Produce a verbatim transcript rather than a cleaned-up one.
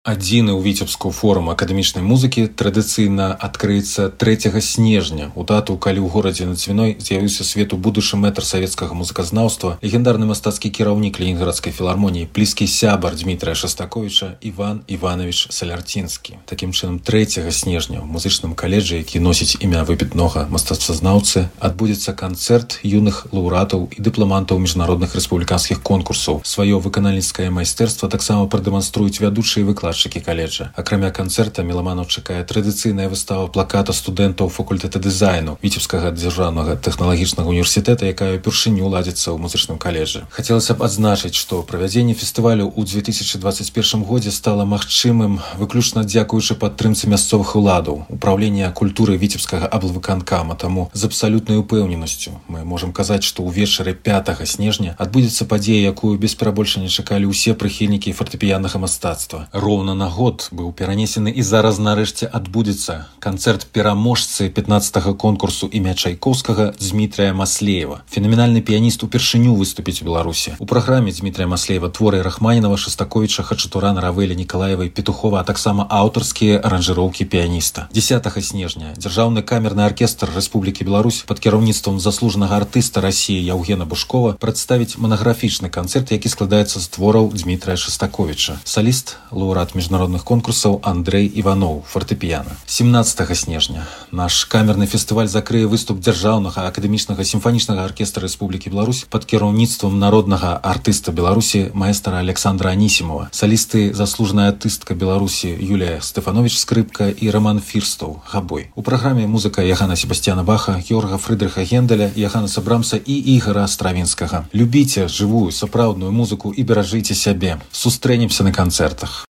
Адзіны ў Віцебску форум акадэмічнай музыкі традыцыйна адкрыецца трэцяга снежня, у дату, калі ў горадзе над Цвіной з'явіўся свету будучы мэтр савецкага музыказнаўства, легендарны мастацкі кіраўнік Ленінградскай філармоніі, блізкі сябар Дмітрая Шастаковіча Іван Іванович Салярцінскі. Такім чынам, трэцяга снежня ў музычным каледжы, які носіць імя выбітнога мастацтвазнаўцы, адбудзецца канцэрт юных лаўрэатаў і дыпламантаў міжнародных рэспубліканскіх конкурсаў. Сваё выканальніцкае майстэрства таксама прадэманструюць вядучыя выкладчыкі каледжа. Акрамя канцэрта меламанаў чакае традыцыйная выстава плаката студэнтаў факультэта дызайну Віцебскага дзяржаўнага тэхналагічнага універсітэта, якая ўпершыню ладзіцца ў музычным каледжы. Хацелася б адзначыць, што правядзенне фестывалю ў две тысячы двадцать першым годзе стала магчымым выключна дзякуючы падтрымцы мясцовых уладаў, упраўлення культуры Віцебскага аблвыканкама. Таму з абсалютнай упэўненасцю мы можам казаць, што ўвечары пятага снежня адбудзецца падзея, якую без перабольшання чакалі ўсе прыхільнікі фартэпіяннага мастацтва. Роўна на год быў перанесены і зараз нарэшце адбудзецца канцэрт пераможцы пятнаццатага конкурсу імя Чайкоўскага Дмітрая Маслеева. Фенаменальны піяніст упершыню выступіць у Беларусі. У праграме Дмітрая Маслеева творы Рахманінава, Шастаковіча, Хачатурана, Равеля, Нікалаевай, Петухова, а таксама аўтарскія аранжыроўкі піяніста. дзесятага снежня дзяржаўны камерны аркестр Рэспублікі Беларусь пад кіраўніцтвам заслужанага артыста Расіі Яўгена Бушкова прадставіць манаграфічны канцэрт, які складаецца з твораў Дмітрая Шастаковіча. Саліст, лаўрэат міжнародных конкурсаў Андрэй Іваноў, фартэпіяна. семнаццатага снежня наш камерны фестываль закрые выступ дзяржаўнага акадэмічнага сімфанічнага аркестра Рэспублікі Беларусь пад кіраўніцтвам народнага артыста Беларусі маэстара Александра Анісімова. Салісты заслужаная артыстка Беларусі Юлія Стэфанович скрыпка і Роман Фірстаў габой. У праграме музыка Яхана Себастьяна Баха, Георга Фрыдрыха Генделя, Яханаса Брамса і Ігара Стравінскага. Любіце жывую сапраўдную музыку і беражыце сябе. Сустрэнемся на канцэртах.